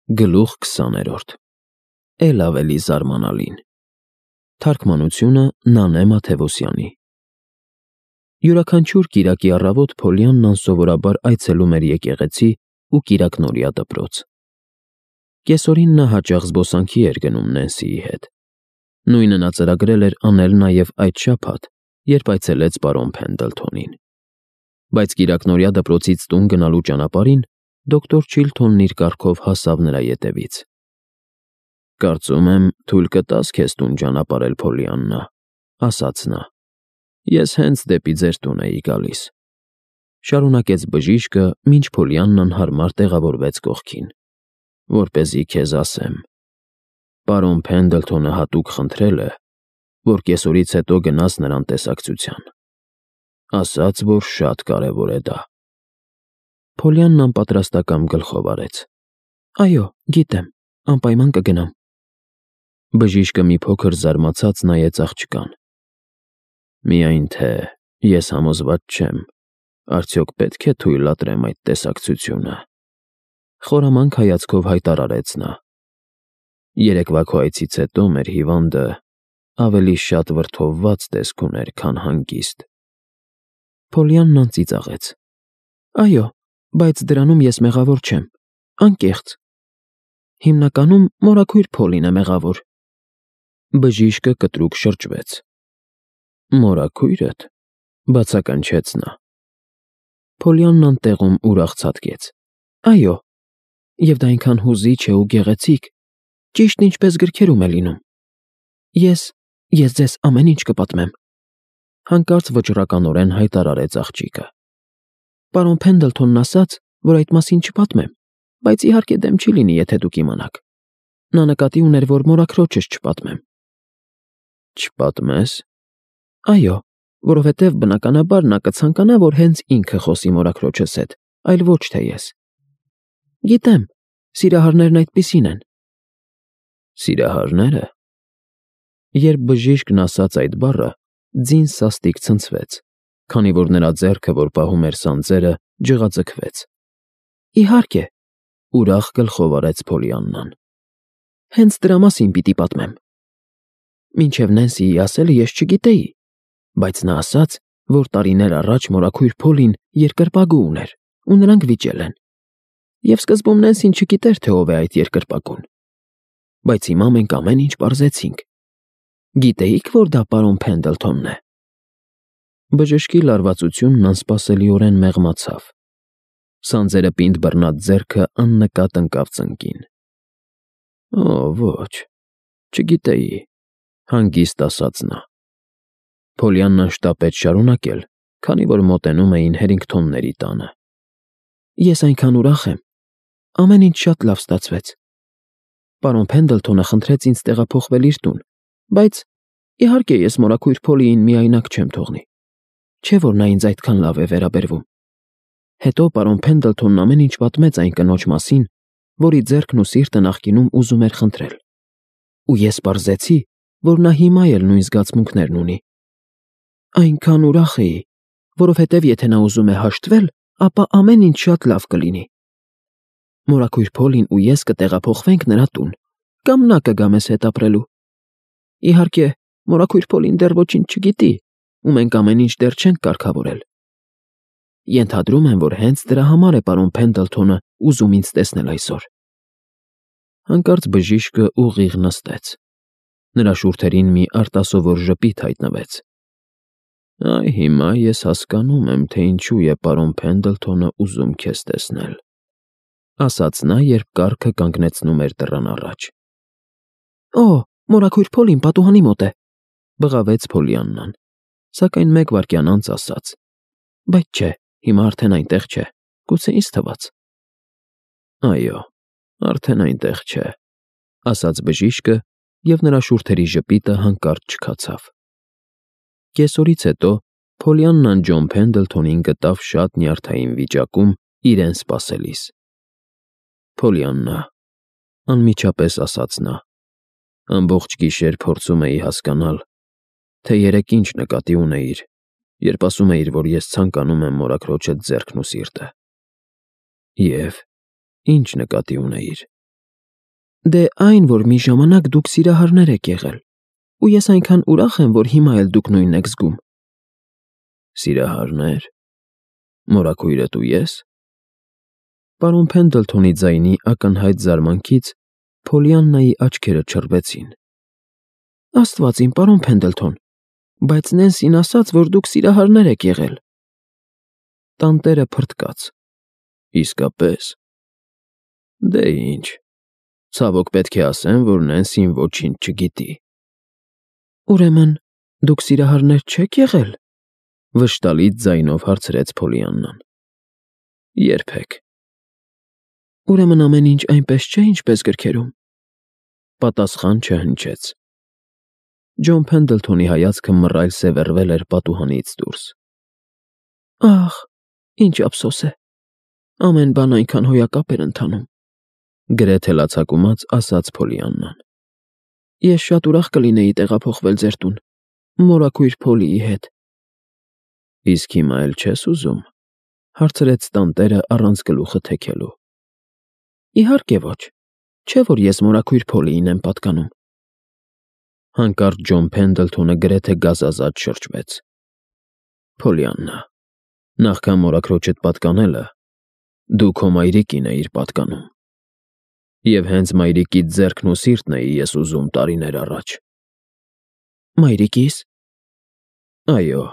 Գլուխ 20-րդ Էլ ավելի զարմանալին Թարգմանությունը Նանե Մաթևոսյանի Յուրաքանչյուր կիրակի առավոտ Փոլիաննան սովորաբար այցելում էր եկեղեցի ու կիրակնօրյա դպրոց։ Կեսօրին նա հաճախ զբոսանքի էր գնում Նենսիի հետ։ Նույնը նա ծրագրել էր անել նաև այդ շաբաթ, երբ այցելեց պարոն Փենդլթոնին։ Բայց կիրակնօրյա դպրոցից տուն գնալու ճանապարհին դոկտոր Չիլթոնն իր կառքով հասավ նրա ետևից։ «Կարծում եմ, թույլ կտաս քեզ տուն ճանապարհել, Փոլիաննա», ասաց նա։ «Ես հենց դեպի ձեր տուն էի գալիս», շարունակեց բժիշկը, մինչ Փոլիաննան հարմար տեղավորվեց կողքին, «որպեսզի քեզ ասեմ. պարոն Փենդլթոնը հատուկ խնդրել է, որ կեսօրից հետո գնաս նրան տեսակցության։ Ասաց, որ շատ կարևոր է դա»։ Փոլիաննան պատրաստակամ գլխով արեց։ «Այո, գիտեմ, անպայման կգնամ»։ Բժիշկը մի փոքր զարմացած նայեց աղջկան։ «Միայն թե ես համոզված չեմ, արդյոք պետք է թույլատրեմ այդ տեսակցությունը», խորամանկ հայացքով հայտարարեց նա։ «Երեկվա քո այցից հետո մեր հիվանդը ավելի շատ վրդովված տեսք ուներ, քան հանգիստ»։ Փոլիաննան ծիծաղեց։ «Այո, բայց դրանում ես մեղավոր չեմ, անկեղծ։ Հիմնականում մորաքույր Փոլին է մեղավոր»։ Բժիշկը կտրուկ շրջվեց։ «Մորաքույրդ», բացականչեց նա։ Փոլիաննան տեղում ուրախ ցատկեց։ «Այո, և դա այնքան հուզիչ է ու գեղեցիկ, ճիշտ ինչպես գրքերում է լինում։ Ես ձեզ ամեն ինչ կպատմեմ», հանկարծ վճռականորեն հայտարարեց աղջիկը։ «Պարոն Փենդլթոնն ասաց, որ այդ մասին չպատմեմ, բայց իհարկե դեմ չի լինի, եթե դուք իմանաք։ Նա նկատի ուներ, որ մորաքրոջս չպատմեմ»։ «Չպատմես»։ «Այո, որովհետև բնականաբար նա կցանկանա, որ հենց ինքը խոսի մորաքրոջս հետ, այլ ոչ թե ես։ Գիտեմ, սիրահարներն այդպիսին են»։ «Սիրահարները»։ Երբ բժիշկն ասաց այդ բառը, ձին սաստիկ ցնցվեց, քանի որ նրա ձեռքը, որ պահում էր սանձերը, ջղաձգվեց։ «Իհարկե», ուրախ գլխով արեց Փոլիաննան։ «Հենց դրա մասին պիտի պատմեմ։ Մինչև Նենսիի ասելը ես չգիտեի, բայց նա ասաց, որ տարիներ առաջ մորաքույր Փոլին երկրպագու ուներ, ու նրանք վիճել են։ Եվ սկզբում Նենսին չգիտեր, թե ով է այդ երկրպագուն։ Բայց հիմա մենք ամեն ինչ պարզեցինք։ Գիտեիք, որ դա պարոն Փենդլթոնն է»։ Բժշկի լարվածությունն անսպասելիորեն մեղմացավ։ Սանձերը պինդ բռնած ձեռքը աննկատ ընկավ ծնկին։ «Օ, ոչ, չգիտեի», հանգիստ ասաց նա։ Փոլիաննան շտապեց շարունակել, քանի որ մոտենում էին Հերինգթոնների տանը։ «Ես այնքան ուրախ եմ։ Ամեն ինչ շատ լավ ստացվեց։ Պարոն Փենդլթոնը խնդրեց ինձ տեղափոխվել իր տուն, բայց իհարկե ես մորաքույր Փոլիին միայնակ չեմ թողնի։ Չէ՞ որ նա ինձ այդքան լավ է վերաբերվում։ Հետո պարոն Փենդլթոնն ամեն ինչ պատմեց այն կնոջ մասին, որի ձեռքն ու սիրտը նախկինում ուզում էր խնդրել։ Ու ես պարզեցի, որ նա հիմա էլ նույն զգացմունքներն ունի։ Այնքան ուրախ էի, որովհետև եթե նա ուզում է հաշտվել, ապա ամեն ինչ շատ լավ կլինի։ Մորաքույր Փոլին ու ես կտեղափոխվենք նրա տուն, կամ նա կգա մեզ հետ ապրելու։ Իհարկե, մորաքույր Փոլին դեռ ոչինչ չգիտի, ու մենք ամեն ինչ դեռ չենք կարգավորել։ Ենթադրում եմ, որ հենց դրա համար է պարոն Փենդլթոնը ուզում ինձ տեսնել այսօր»։ Հանկարծ բժիշկը ուղիղ նստեց։ Նրա շուրթերին մի արտասովոր ժպիտ հայտնվեց։ «Այ հիմա ես հասկանում եմ, թե ինչու է պարոն Փենդլթոնը ուզում քեզ տեսնել», ասաց նա, երբ կառքը կանգնեցնում էր դռան առաջ։ «Օ, մորաքույր Փոլին պատուհանի մոտ է», բղավեց Փոլիաննան, սակայն մեկ վայրկյան անց ասաց. «Բայց չէ, հիմա արդեն այնտեղ չէ, գուցե ինձ թվաց»։ «Այո, արդեն այնտեղ չէ», ասաց բժիշկը, և նրա շուրթերի ժպիտը հանկարծ չքացավ։ Կեսօրից հետո Փոլիաննան Ջոն Փենդլթոնին գտավ շատ նյարդային վիճակում իրեն սպասելիս։ «Փոլիաննա», անմիջապես ասաց նա, ամբողջ գիշեր փորձում էի հասկանալ, թե երեկ ինչ նկատի ունեիր, երբ ասում էիր, որ ես ցանկանում եմ մորաքրոջդ ձեռքն ու սիրտը։ Եվ ինչ նկատի ունեիր։ Դե այն, որ մի ժամանակ դուք սիրահարներ եք եղել, ու ես այնքան ուրախ եմ, որ հիմա էլ դուք նույնն եք զգում։ Սիրահարներ։ Մորաքույրդ ու ես։ Պարոն Փենդլթոնի ձայնի ակնհայտ զարմանքից Փոլիաննայի աչքերը չռվեցին։ Աստված իմ, պարոն Փենդլթոն, բայց Նենսին ասաց, որ դուք սիրահարներ եք եղել։ Տանտերը փրթկաց։ Իսկապես։ Դե ինչ, ցավոք պետք է ասեմ, որ Նենսին ոչինչ չգիտի։ Ուրեմն, դուք սիրահարներ չեք եղել, վշտալից ձայնով հարցրեց Փոլիաննան։ Երբեք։ Ուրեմն ամեն ինչ այնպես չէ, ինչպես գրքերում։ Պատասխան չհնչեց։ Ջոն Փենդլթոնի հայացքը մռայլ սևեռվել էր պատուհանից դուրս։ Ահ, ինչ ափսոս է։ Ամեն բան այնքան հոյակապ էր ընթանում։ Գրեթե լացակումած ասաց Փոլիաննան։ Ես շատ ուրախ կլինեի տեղափոխվել ձեր տուն, մորաքույր Փոլիի հետ։ Իսկ հիմա էլ չես ուզում, հարցրեց տանտերը առանց գլուխը թեքելու։ Իհարկե ոչ, չէ որ ես մորաքույր Փոլիին եմ պատկանում։ Հանկարծ Ջոն Փենդլթոնը գրեթե գազազած շրջվեց։ Փոլիաննա, նախքան մորաքրոջդ պատկանելը, դու քո մայրիկին էիր պատկանում։ Եվ հենց մայրիկիդ ձեռքն ու սիրտն էի ես ուզում տարիներ առաջ։ Մայրիկիս։ Այո։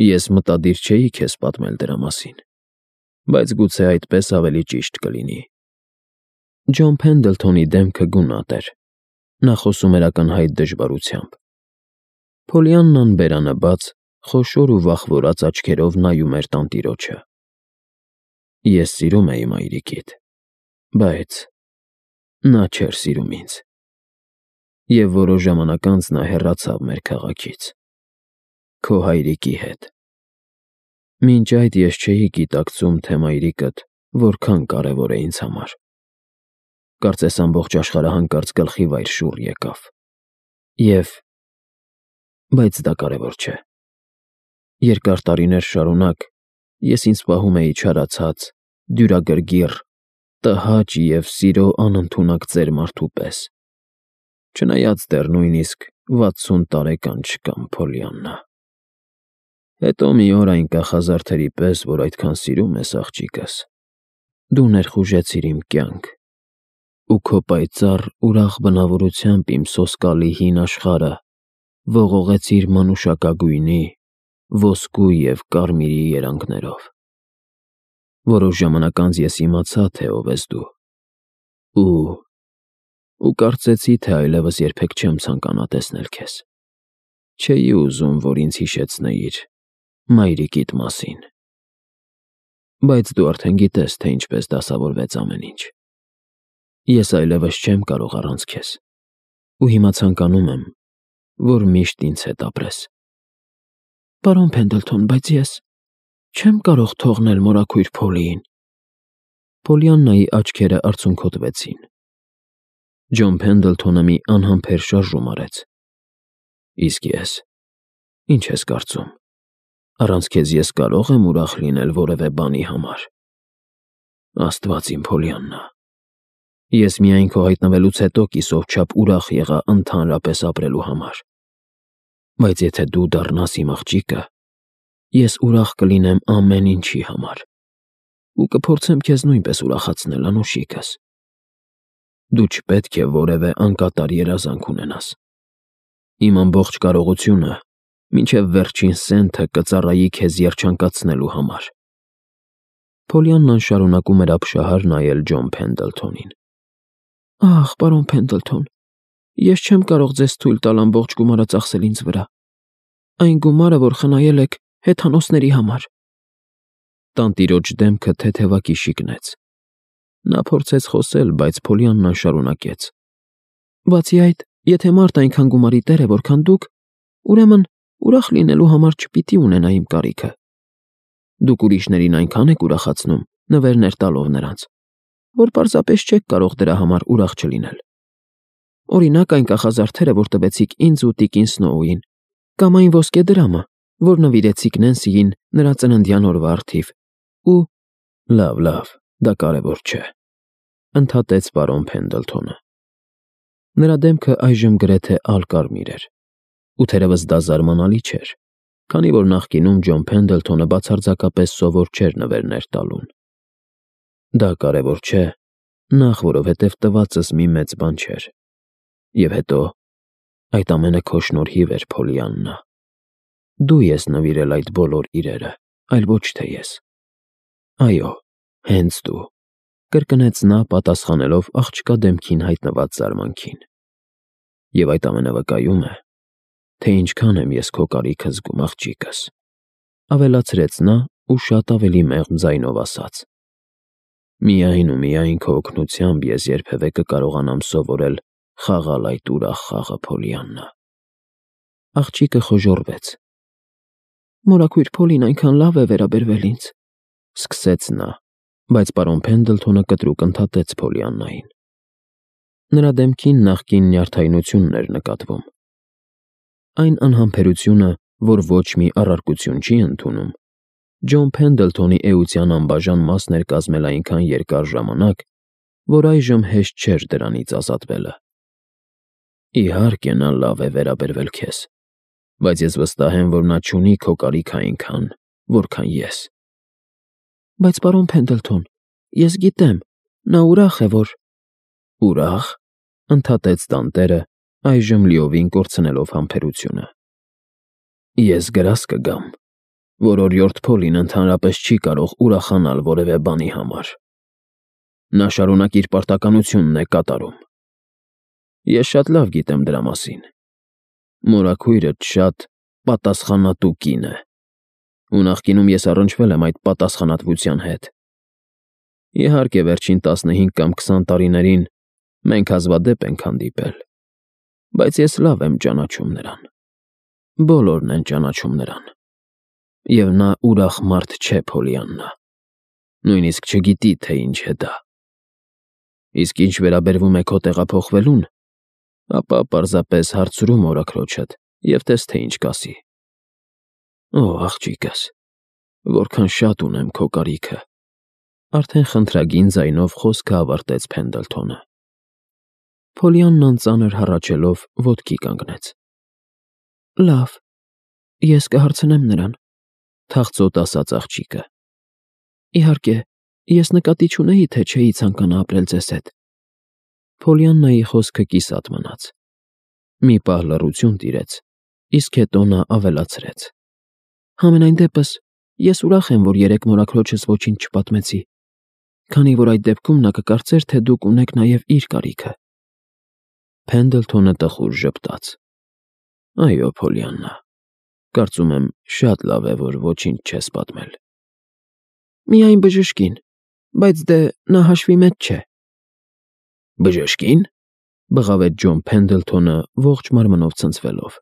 Ես մտադիր չէի քեզ պատմել դրա մասին, բայց գուցե այդպես ավելի ճիշտ կլինի։ Ջոն Փենդլթոնի դեմքը գունատ էր։ Նա խոսում էր ակնհայտ դժվարությամբ։ Փոլիաննան բերանը բաց, խոշոր ու վախվորած աչքերով նայում էր տանտիրոջը։ Ես սիրում էի մայրիկիդ, բայց նա չէր սիրում ինձ։ Եվ որոշ ժամանակ անց նա հեռացավ մեր քաղաքից։ Քո հայրիկի հետ։ Մինչ այդ ես չէի գիտակցում, թե մայրիկդ որքան կարևոր է ինձ համար։ Կարծես ամբողջ աշխարհը հանկարծ գլխի վայր շուռ եկավ։ Բայց դա կարևոր չէ։ Երկար տարիներ շարունակ ես ինձ պահում էի չարացած, դյուրագրգիռ, տհաճ և սիրո անընդունակ ծեր մարդու պես։ Չնայած դեռ նույնիսկ 60 տարեկան չկամ, Փոլիաննա։ Հետո մի օր այն կախազարդերի պես, որ այդքան սիրում ես աղջիկս, դու ներխուժեցիր իմ կյանք, ու քո պայծառ, ուրախ բնավորությամբ իմ սոսկալի հին աշխարհը ողողեցիր մանուշակագույնի, ոսկու և կարմիրի երանգներով։ Որոշ ժամանակ անց ես իմացա, թե ով ես դու, ու կարծեցի, թե այլևս երբեք չեմ ցանկանա տեսնել քեզ։ Չէի ուզում, որ ինձ հիշեցնեիր մայրիկիդ մասին։ Բայց դու արդեն գիտես, թե ինչպես դասավորվեց ամեն ինչ։ Ես այլևս չեմ կարող առանց քեզ, ու հիմա ցանկանում եմ, որ միշտ ինձ հետ ապրես։ Պարոն Փենդլթոն, բայց ես չեմ կարող թողնել մորաքույր Փոլիին։ Փոլիաննայի աչքերը արցունքոտվեցին։ Ջոն Փենդլթոնը մի անհամբեր շարժում արեց։ Իսկ ես, ինչ ես կարծում, առանց քեզ ես կարո՞ղ եմ ուրախ լինել որևէ բանի համար։ Աստված իմ, Փոլիաննա, ես միայն քո հայտնվելուց հետո կիսով չափ ուրախ եղա ընդհանրապես ապրելու համար։ Բայց եթե դու դառնաս իմ աղջիկը, ես ուրախ կլինեմ ամեն ինչի համար, ու կփորձեմ քեզ նույնպես ուրախացնել, անուշիկս։ Դու չպետք է որևէ անկատար երազանք ունենաս։ Իմ ամբողջ կարողությունը մինչև վերջին սենթը կծառայի քեզ երջանկացնելու համար։ Փոլիաննան շարունակում էր ապշահար նայել Ջոն Փենդլթոնին։ Ահ, պարոն Փենդլթոն, ես չեմ կարող ձեզ թույլ տալ ամբողջ գումարը ծախսել ինձ վրա։ Այն գումարը, որ խնայել եք հեթանոսների համար։ Տանտիրոջ դեմքը թեթևակի շիկնեց։ Նա փորձեց խոսել, բայց Փոլիաննան շարունակեց. Բացի այդ, եթե մարդ այնքան գումարի տեր է, որքան դուք, ուրեմն ուրախ լինելու համար չպիտի ունենա իմ կարիքը։ Դուք ուրիշներին այնքան եք ուրախացնում, նվերներ տալով նրանց, որ պարզապես չեք կարող դրա համար ուրախ չլինել։ Օրինակ այն կախազարդերը, որ տվեցիք ինձ ու տիկին Սնոուին, կամ այն ոսկե դրամը, որ նվիրեցիք Նենսիին նրա ծննդյան օրվա առթիվ, ու… Լավ, դա կարևոր չէ։ ընդհատեց պարոն Փենդլթոնը։ Նրա դեմքը այժմ գրեթե ալկարմիր էր, ու թերևս դա զարմանալի չէր, քանի որ նախկինում Ջոն Փենդլթոնը բացարձակապես սովոր չէր նվերներ տալուն։ Դա կարևոր չէ, նախ որովհետև տվածս մի մեծ բան չէր, և հետո այդ ամենը քո շնորհիվ էր, Փոլիաննա։ Դու ես նվիրել այդ բոլոր իրերը, այլ ոչ թե ես։ Այո, հենց դու, կրկնեց նա, պատասխանելով աղջկա դեմքին հայտնված զարմանքին։ Եվ այդ ամենը վկայում է, թե ինչքան եմ ես քո կարիքը զգում, աղջիկս, ավելացրեց նա ու շատ ավելի մեղմ ձայնով ասաց. միայն ու միայն քո օգնությամբ ես երբևէ կկարողանամ սովորել խաղալ այդ ուրախ խաղը, Փոլիաննա։ Աղջիկը խոժոռվեց։ Մորաքույր Փոլին այնքան լավ է վերաբերվել ինձ, սկսեց նա, բայց պարոն Փենդլթոնը կտրուկ ընդհատեց Փոլիաննային։ Նրա դեմքին նախկին նյարդայնությունն էր նկատվում։ Այն անհամբերությունը, որ ոչ մի առարկություն չի ընդունում, Ջոն Փենդլթոնի էության անբաժան մասն էր կազմել այնքան երկար ժամանակ, որ այժմ հեշտ չէր դրանից ազատվելը։ Իհարկե նա լավ է վերաբերվել քեզ, բայց ես վստահ եմ, որ նա չունի քո կարիքը այնքան, որքան ես։ Բայց պարոն Փենդլթոն, ես գիտեմ, նա ուրախ է, որ… Ուրախ, ընդհատեց տանտերը, այժմ լիովին կորցնելով համբերությունը։ Ես գրազ կգամ, որ օրիորդ Փոլին ընդհանրապես չի կարող ուրախանալ որևէ բանի համար։ Նա շարունակ իր պարտականությունն է կատարում։ Ես շատ լավ գիտեմ դրա մասին։ Մորաքույրդ շատ պատասխանատու կին է, ու նախկինում ես առնչվել եմ այդ պատասխանատվության հետ։ Իհարկե, վերջին 15 կամ 20 տարիներին մենք հազվադեպ ենք հանդիպել, բայց ես լավ եմ ճանաչում նրան։ Բոլորն են ճանաչում նրան։ Եվ նա ուրախ մարդ չէ, Փոլիաննա, նույնիսկ չգիտի, թե ինչ է դա։ Իսկ ինչ վերաբերվում է քո տեղափոխվելուն, ապա պարզապես հարցրու մորաքրոջդ և տես, թե ինչ կասի։ Օ, աղջիկս, որքան շատ ունեմ քո կարիքը, արդեն խնդրագին ձայնով խոսքը ավարտեց Փենդլթոնը։ Փոլիաննան ծանր հառաչելով ոտքի կանգնեց։ Լավ, ես կհարցնեմ նրան, թախծոտ ասաց աղջիկը։ Իհարկե, ես նկատի չունեի, թե չէի ցանկանա ապրել ձեզ հետ։ Փոլիաննայի խոսքը կիսատ մնաց։ Մի պահ լռություն տիրեց, իսկ հետո նա ավելացրեց. Համենայն դեպս, ես ուրախ եմ, որ երեկ մորաքրոջս ոչինչ չպատմեցի, քանի որ այդ դեպքում նա կկարծեր, թե դուք ունեք նաև իր կարիքը։ Փենդլթոնը տխուր ժպտաց։ Այո, Փոլիաննա, կարծում եմ շատ լավ է, որ ոչինչ չես պատմել։ Միայն բժշկին, բայց դե նա հաշվի մեջ չէ։ Բժշկին, բղավեց Ջոն Փենդլթոնը ողջ մարմնով ցնցվելով։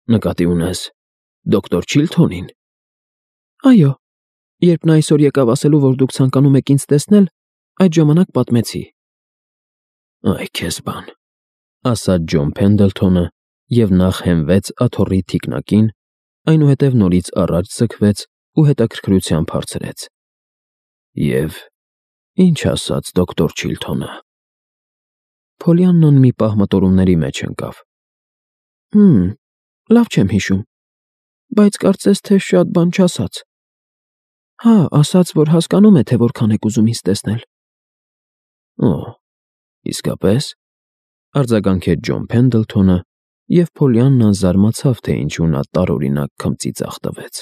Նկատի ունես դոկտոր Չիլթոնին։ Այո, երբ նա այսօր եկավ ասելու, որ դուք ցանկանում եք ինձ տեսնել, այդ ժամանակ պատմեցի։ Այ քեզ բան, ասաց Ջոն Փենդլթոնը և նախ հենվեց աթոռի թիկնակին, այնուհետև նորից առաջ ձգվեց ու հետաքրքրությամբ հարցրեց. Եվ ինչ ասաց դոկտոր Չիլթոնը։ Փոլիաննան մի պահ մտորումների մեջ ընկավ։ Լավ չեմ հիշում, բայց կարծես թե շատ բան չասաց։ Հա, ասաց, որ հասկանում է, թե որքան եք ուզում ինձ տեսնել։ Օ, իսկապես, արձագանքեց Ջոն Փենդլթոնը, և Փոլիաննան զարմացավ, թե ինչու նա տարօրինակ քմծիծաղ տվեց։